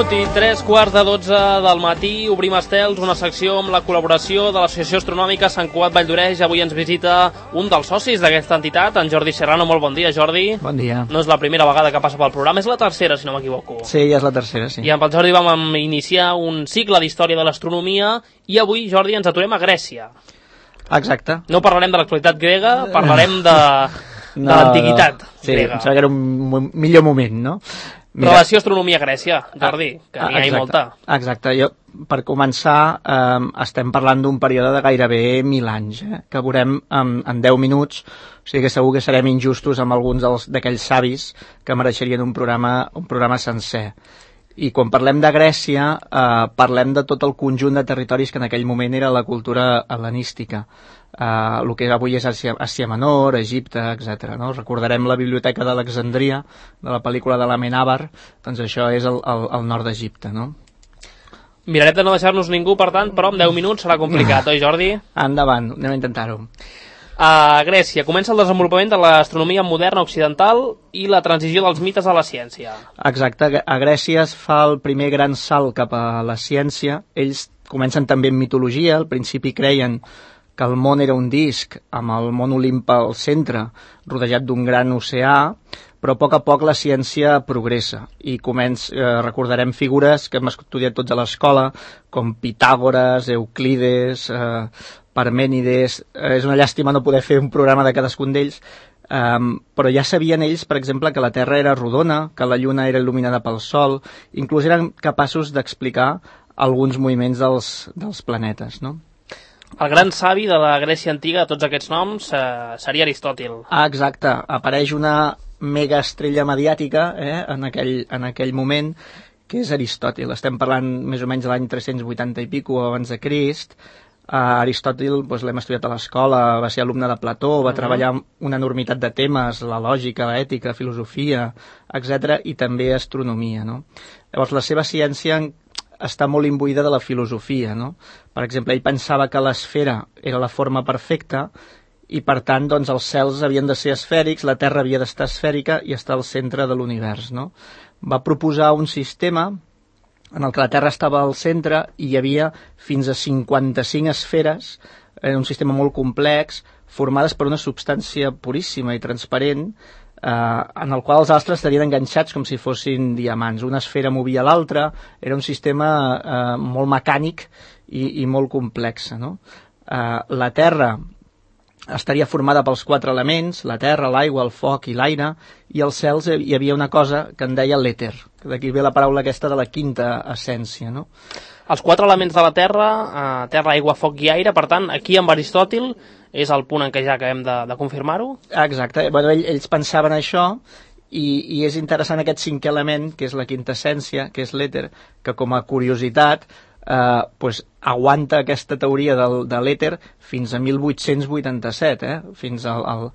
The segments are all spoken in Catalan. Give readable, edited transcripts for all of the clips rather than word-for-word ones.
minut i 3:15 del matí, obrim estels, una secció amb la col·laboració de l'Associació Astronòmica Sant Cugat Valldoreix. Avui ens visita un dels socis d'aquesta entitat, en Jordi Serrano. Molt bon dia, Jordi. Bon dia. No és la primera vegada que passa pel programa, és la tercera, si no m'equivoco. Sí, ja és la tercera, sí. I amb el Jordi vam iniciar un cicle d'història de l'astronomia i avui, Jordi, ens aturem a Grècia. Exacte. No parlarem de l'actualitat grega, parlarem de l'antiguitat grega. Em sembla que era un millor moment, no? Mira, relació astronomia-Grècia, Jordi, que n'hi ha molta. Exacte. Per començar, estem parlant d'un període de gairebé 1.000 anys, que veurem en 10 minuts, o sigui que segur que serem injustos amb alguns d'aquells savis que mereixerien un programa sencer. I quan parlem de Grècia, parlem de tot el conjunt de territoris que en aquell moment era la cultura hel·lenística. El que avui és Àsia Menor, Egipte, etc. No? Recordarem la biblioteca d'Alexandria, de la pel·lícula de l'Amenàbar, doncs això és el nord d'Egipte, no? Mirarem de no deixar-nos ningú, per tant, però en 10 minuts serà complicat, oi, Jordi? Endavant, anem a intentar-ho. A Grècia comença el desenvolupament de l'astronomia moderna occidental i la transició dels mites a la ciència. Exacte, a Grècia es fa el primer gran salt cap a la ciència. Ells comencen també en mitologia, al principi creien que el món era un disc amb el món Olimpe al centre, rodejat d'un gran oceà, però a poc la ciència progressa i recordarem figures que hem estudiat tots a l'escola, com Pitàgores, Euclides, Parmènides. És una llàstima no poder fer un programa de cadascun d'ells, però ja sabien ells, per exemple, que la Terra era rodona, que la Lluna era il·luminada pel Sol, inclús eren capaços d'explicar alguns moviments dels planetes, no? El gran savi de la Grècia antiga, de tots aquests noms, seria Aristòtil. Exacte. Apareix una mega estrella mediàtica en aquell moment, que és Aristòtil. Estem parlant més o menys de l'any 380 i pico abans de Crist. Aristòtil l'hem estudiat a l'escola, va ser alumne de Plató, va treballar una enormitat de temes, la lògica, l'ètica, filosofia, etc., i també astronomia, no? Llavors, la seva ciència està molt imbuïda de la filosofia, no? Per exemple, ell pensava que l'esfera era la forma perfecta i, per tant, doncs, els cels havien de ser esfèrics, la Terra havia d'estar esfèrica i estar al centre de l'univers, no? Va proposar un sistema en el que la Terra estava al centre i hi havia fins a 55 esferes, un sistema molt complex, formades per una substància puríssima i transparent, en el qual els astres estarien enganxats com si fossin diamants. Una esfera movia l'altra, era un sistema molt mecànic i molt complex, no? La Terra estaria formada pels 4 elements, la terra, l'aigua, el foc i l'aire, i als cels hi havia una cosa que en deia l'èter, d'aquí ve la paraula aquesta de la quinta essència, no? Els 4 elements de la terra, terra, aigua, foc i aire, per tant, aquí amb Aristòtil és el punt en què ja acabem de confirmar-ho? Exacte, bueno, ells pensaven això, i és interessant aquest 5è element, que és la quinta essència, que és l'èter, que com a curiositat aguanta aquesta teoria de l'èter fins a 1887, fins al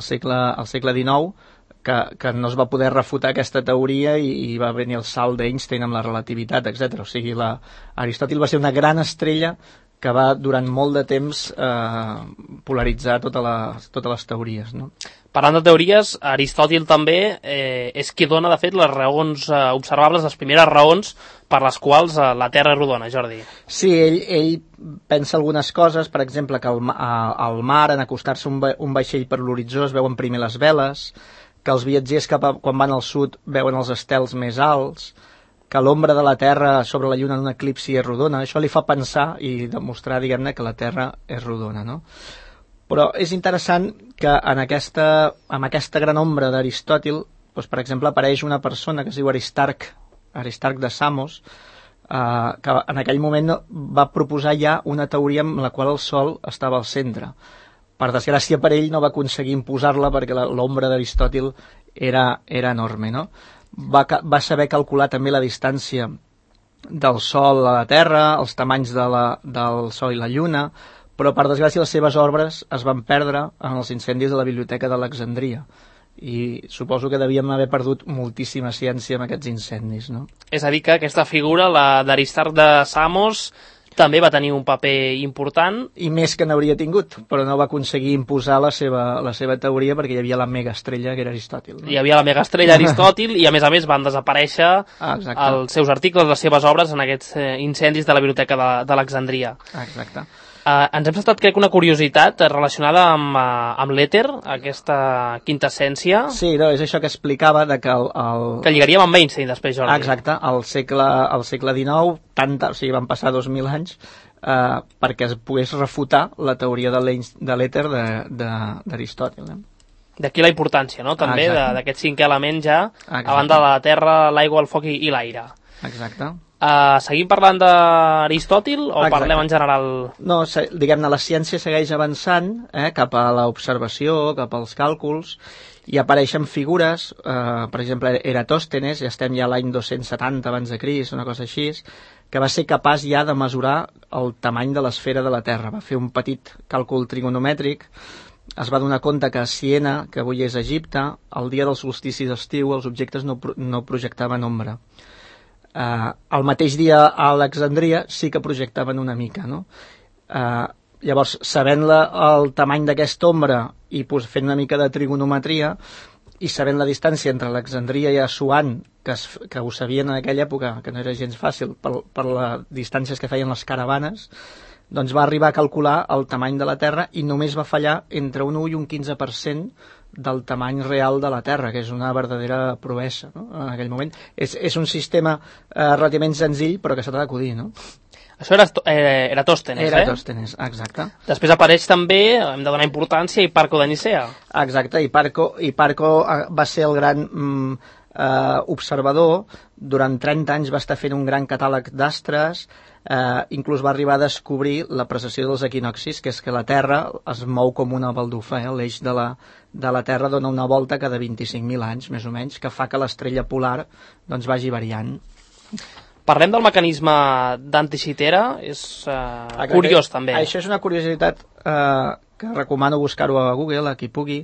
segle XIX, que no es va poder refutar aquesta teoria i va venir el salt d'Einstein amb la relativitat, etc. O sigui, Aristòtil va ser una gran estrella que va durant molt de temps polaritzar totes les teories, no? Parlant de teories, Aristòtil també és qui dona, de fet, les raons observables, les primeres raons per les quals la Terra és rodona, Jordi. Sí, ell pensa algunes coses, per exemple, que al mar, en acostar-se un vaixell per l'horitzó, es veuen primer les veles, que els viatgers quan van al sud veuen els estels més alts, que l'ombra de la Terra sobre la Lluna en un eclipsi és rodona. Això li fa pensar i demostrar, diguem-ne, que la Terra és rodona, no? Però és interessant que amb aquesta gran ombra d'Aristòtil, doncs, per exemple, apareix una persona que es diu Aristarc de Samos, que en aquell moment va proposar ja una teoria en la qual el Sol estava al centre. Per desgràcia per ell no va aconseguir imposar-la perquè l'ombra d'Aristòtil era enorme, no? Va saber calcular també la distància del Sol a la Terra, els tamanys del Sol i la Lluna, però per desgràcia les seves obres es van perdre en els incendis de la Biblioteca d'Alexandria i suposo que devíem haver perdut moltíssima ciència amb aquests incendis, no? És a dir que aquesta figura, la d'Aristarc de Samos, també va tenir un paper important. I més que n'hauria tingut, però no va aconseguir imposar la seva teoria perquè hi havia la megaestrella que era Aristòtil. No? Hi havia la megaestrella Aristòtil i a més els desaparèixer els seus articles, les seves obres en aquests incendis de la Biblioteca d'Alexandria. Exacte. Ens hem saltat, crec, una curiositat relacionada amb l'èter, aquesta quintessència. Sí, no, és això que explicava de que que lligaríem amb Einstein després, Jordi. Exacte, al segle XIX, o sigui, van passar 2.000 anys perquè es pogués refutar la teoria de l'èter d'Aristòtil. D'aquí la importància, no?, també, d'aquest cinquè element ja, a banda de la terra, l'aigua, el foc i l'aire. Exacte. Seguim parlant d'Aristòtil o parlem en general? No, diguem-ne, la ciència segueix avançant cap a l'observació, cap als càlculs, i apareixen figures, per exemple, Eratòstenes, ja estem ja a l'any 270 abans de Crist, una cosa així, que va ser capaç ja de mesurar el tamany de l'esfera de la Terra. Va fer un petit càlcul trigonomètric, es va donar compte que a Siena, que avui és Egipte, el dia del solstici d'estiu els objectes no projectaven ombra. El mateix dia a Alexandria sí que projectaven una mica, no? Llavors, sabent el tamany d'aquesta ombra i fent una mica de trigonometria i sabent la distància entre Alexandria i Assuan, que ho sabien en aquella època, que no era gens fàcil per les distàncies que feien les caravanes, doncs va arribar a calcular el tamany de la Terra i només va fallar entre un 1 i un 15% del tamany real de la Terra, que és una verdadera proesa, no? En aquell moment. És un sistema relativament senzill, però que s'ha d'acudir, no? Això era Eratòstenes, Eratòstenes, exacte. Després apareix també, hem de donar importància, Hiparco de Nicea. Exacte, Hiparco va ser el gran observador. Durant 30 anys va estar fent un gran catàleg d'astres, inclús va arribar a descobrir la precessió dels equinoccis, que és que la Terra es mou com una baldufa, l'eix de la Terra dona una volta cada 25.000 anys, més o menys, que fa que l'estrella polar doncs, vagi variant. Parlem del mecanisme d'Anticitera, és curiós també. Això és una curiositat que recomano buscar-ho a Google, a qui pugui.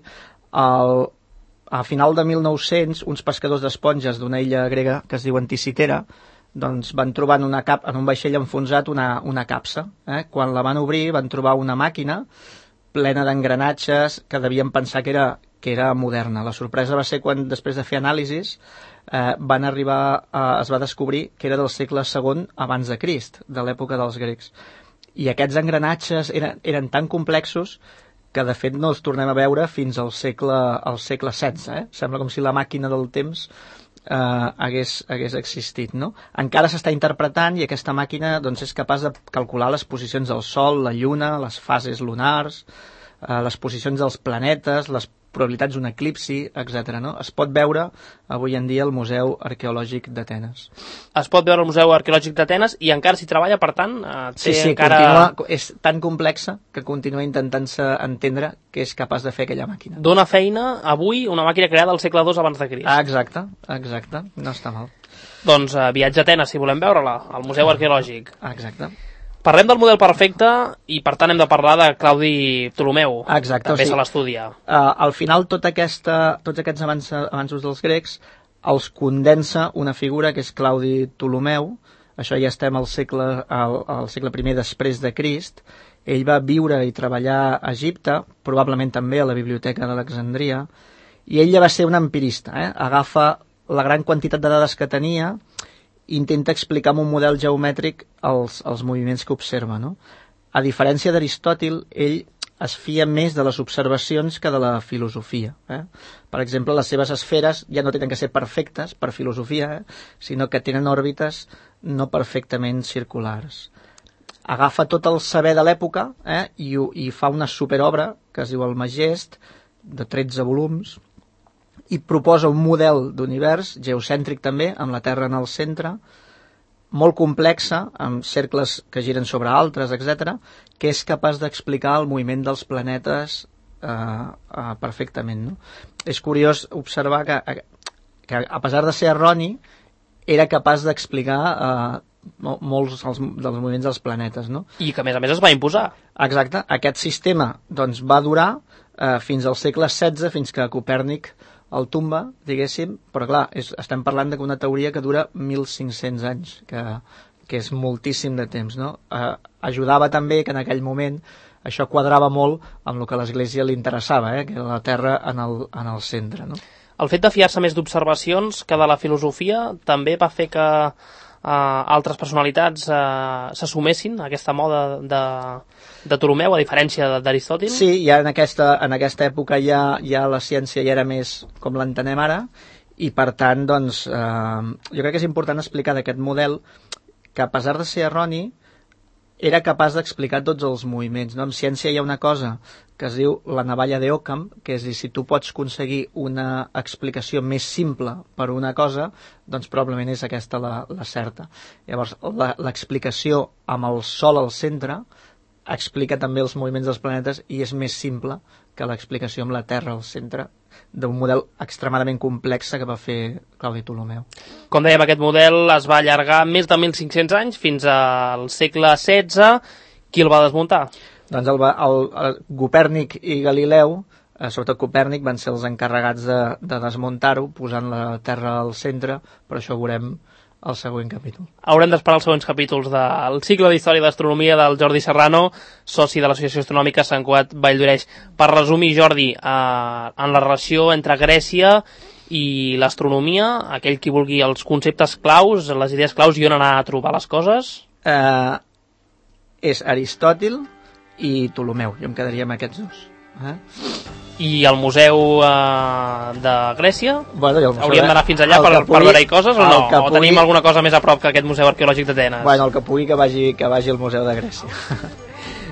A final de 1900, uns pescadors d'esponges d'una illa grega que es diu Anticitera doncs van trobar en un vaixell enfonsat una capsa. Quan la van obrir van trobar una màquina plena d'engranatges que devien pensar que era moderna. La sorpresa va ser quan, després de fer anàlisis, es va descobrir que era del segle II abans de Crist, de l'època dels grecs. I aquests engranatges eren tan complexos que de fet no els tornem a veure fins al segle XVI. Sembla com si la màquina del temps hagués existit, no? Encara s'està interpretant i aquesta màquina doncs, és capaç de calcular les posicions del Sol, la Lluna, les fases lunars, les posicions dels planetes, les probabilitats d'un eclipsi, etc. No? Es pot veure avui en dia al Museu Arqueològic d'Atenes. Es pot veure al Museu Arqueològic d'Atenes i encara s'hi treballa, per tant, sí, és tan complexa que continua intentant-se entendre què és capaç de fer aquella màquina. Dóna feina avui una màquina creada al segle II abans de Crist. Exacte, no està mal. Doncs viatge a Atenes, si volem veure-la, al Museu Arqueològic. Exacte. Parlem del model perfecte i, per tant, hem de parlar de Claudi Ptolemeu. Exacte. També se l'estudia. Al final, tots aquests avanços dels grecs els condensa una figura que és Claudi Ptolemeu. Això ja estem al segle I després de Crist. Ell va viure i treballar a Egipte, probablement també a la Biblioteca d'Alexandria, i ell ja va ser un empirista. Agafa la gran quantitat de dades que tenia, intenta explicar amb un model geomètric els moviments que observa, no? A diferència d'Aristòtil, ell es fia més de les observacions que de la filosofia. Per exemple, les seves esferes ja no tenen que ser perfectes per filosofia, sinó que tenen òrbites no perfectament circulars. Agafa tot el saber de l'època i fa una superobra que es diu el Magest, de 13 volums, i proposa un model d'univers geocèntric també, amb la Terra en el centre, molt complexa, amb cercles que giren sobre altres, etc., que és capaç d'explicar el moviment dels planetes perfectament. No? És curiós observar que a pesar de ser erroni, era capaç d'explicar molts dels moviments dels planetes. No? I que, a més, es va imposar. Exacte. Aquest sistema doncs, va durar fins al segle XVI, fins que Copèrnic el tomba, diguéssim, però clar, estem parlant d'una teoria que dura 1.500 anys, que que és moltíssim de temps, no? Ajudava també que en aquell moment això quadrava molt amb el que a l'Església li interessava, que era la Terra en el centre, no? El fet de fiar-se més d'observacions que de la filosofia també va fer que altres personalitats s'assumessin a aquesta moda de Ptolemeu, a diferència d'Aristòtil? Sí, ja en aquesta època ja la ciència ja era més com l'entenem ara, i per tant, doncs, jo crec que és important explicar d'aquest model que, a pesar de ser erroni, era capaç d'explicar tots els moviments, no? En ciència hi ha una cosa que es diu la navalla d'Occam, que és dir, si tu pots aconseguir una explicació més simple per una cosa, doncs probablement és aquesta la certa. Llavors, l'explicació amb el Sol al centre explica també els moviments dels planetes i és més simple que l'explicació amb la Terra al centre d'un model extremadament complex que va fer Claudi Ptolemeu. Com dèiem, aquest model es va allargar més de 1.500 anys, fins al segle XVI. Qui el va desmuntar? Doncs el Copèrnic i Galileu, sobretot Copèrnic, van ser els encarregats de desmuntar-ho, posant la Terra al centre, però això ho veurem al següent capítol. Haurem d'esperar els següents capítols del cicle d'Història d'Astronomia del Jordi Serrano, soci de l'Associació Astronòmica Sant Cugat Valldoreix. Per resumir, Jordi, en la relació entre Grècia i l'astronomia, aquell qui vulgui els conceptes claus, les idees claus i on anar a trobar les coses? És Aristòtil i Ptolemeu. Jo em quedaria amb aquests dos. I el museu de Grècia? Bueno, hauríem d'anar fins allà per veure-hi coses o no? O tenim alguna cosa més a prop que aquest museu arqueològic d'Atenes? Bueno, el que pugui que vagi al museu de Grècia.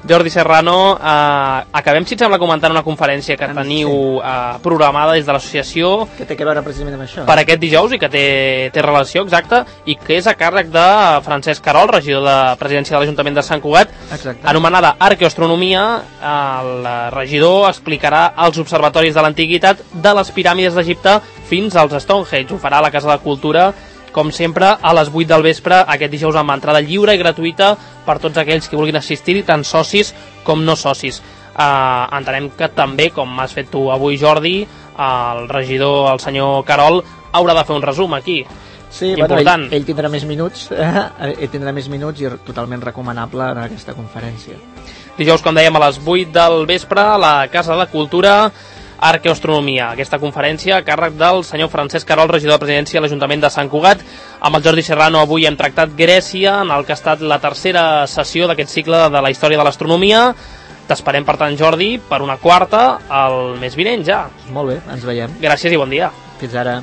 Jordi Serrano, acabem, si et sembla, comentant una conferència que teniu programada des de l'associació. Que té a veure precisament amb això. Per aquest dijous, i que té relació, exacte, i que és a càrrec de Francesc Carol, regidor de Presidència de l'Ajuntament de Sant Cugat, anomenada Arqueoastronomia. El regidor explicarà els observatoris de l'antiguitat de les piràmides d'Egipte fins als Stonehenge. Ho farà a la Casa de Cultura, com sempre, a les 8 del vespre, aquest dijous, amb entrada lliure i gratuïta per tots aquells que vulguin assistir-hi, tant socis com no socis. Entenem que també, com has fet tu avui, Jordi, el regidor, el senyor Carol, haurà de fer un resum aquí. Sí, bueno, ell tindrà més minuts, i totalment recomanable en aquesta conferència. Dijous, com dèiem, a les 8 del vespre, a la Casa de Cultura, Arqueoastronomia, aquesta conferència a càrrec del senyor Francesc Carol, regidor de Presidència de l'Ajuntament de Sant Cugat. Amb el Jordi Serrano avui hem tractat Grècia, en el que ha estat la tercera sessió d'aquest cicle de la història de l'astronomia. T'esperem, per tant, Jordi, per una quarta el mes vinent ja. Molt bé, ens veiem. Gràcies i bon dia. Fins ara.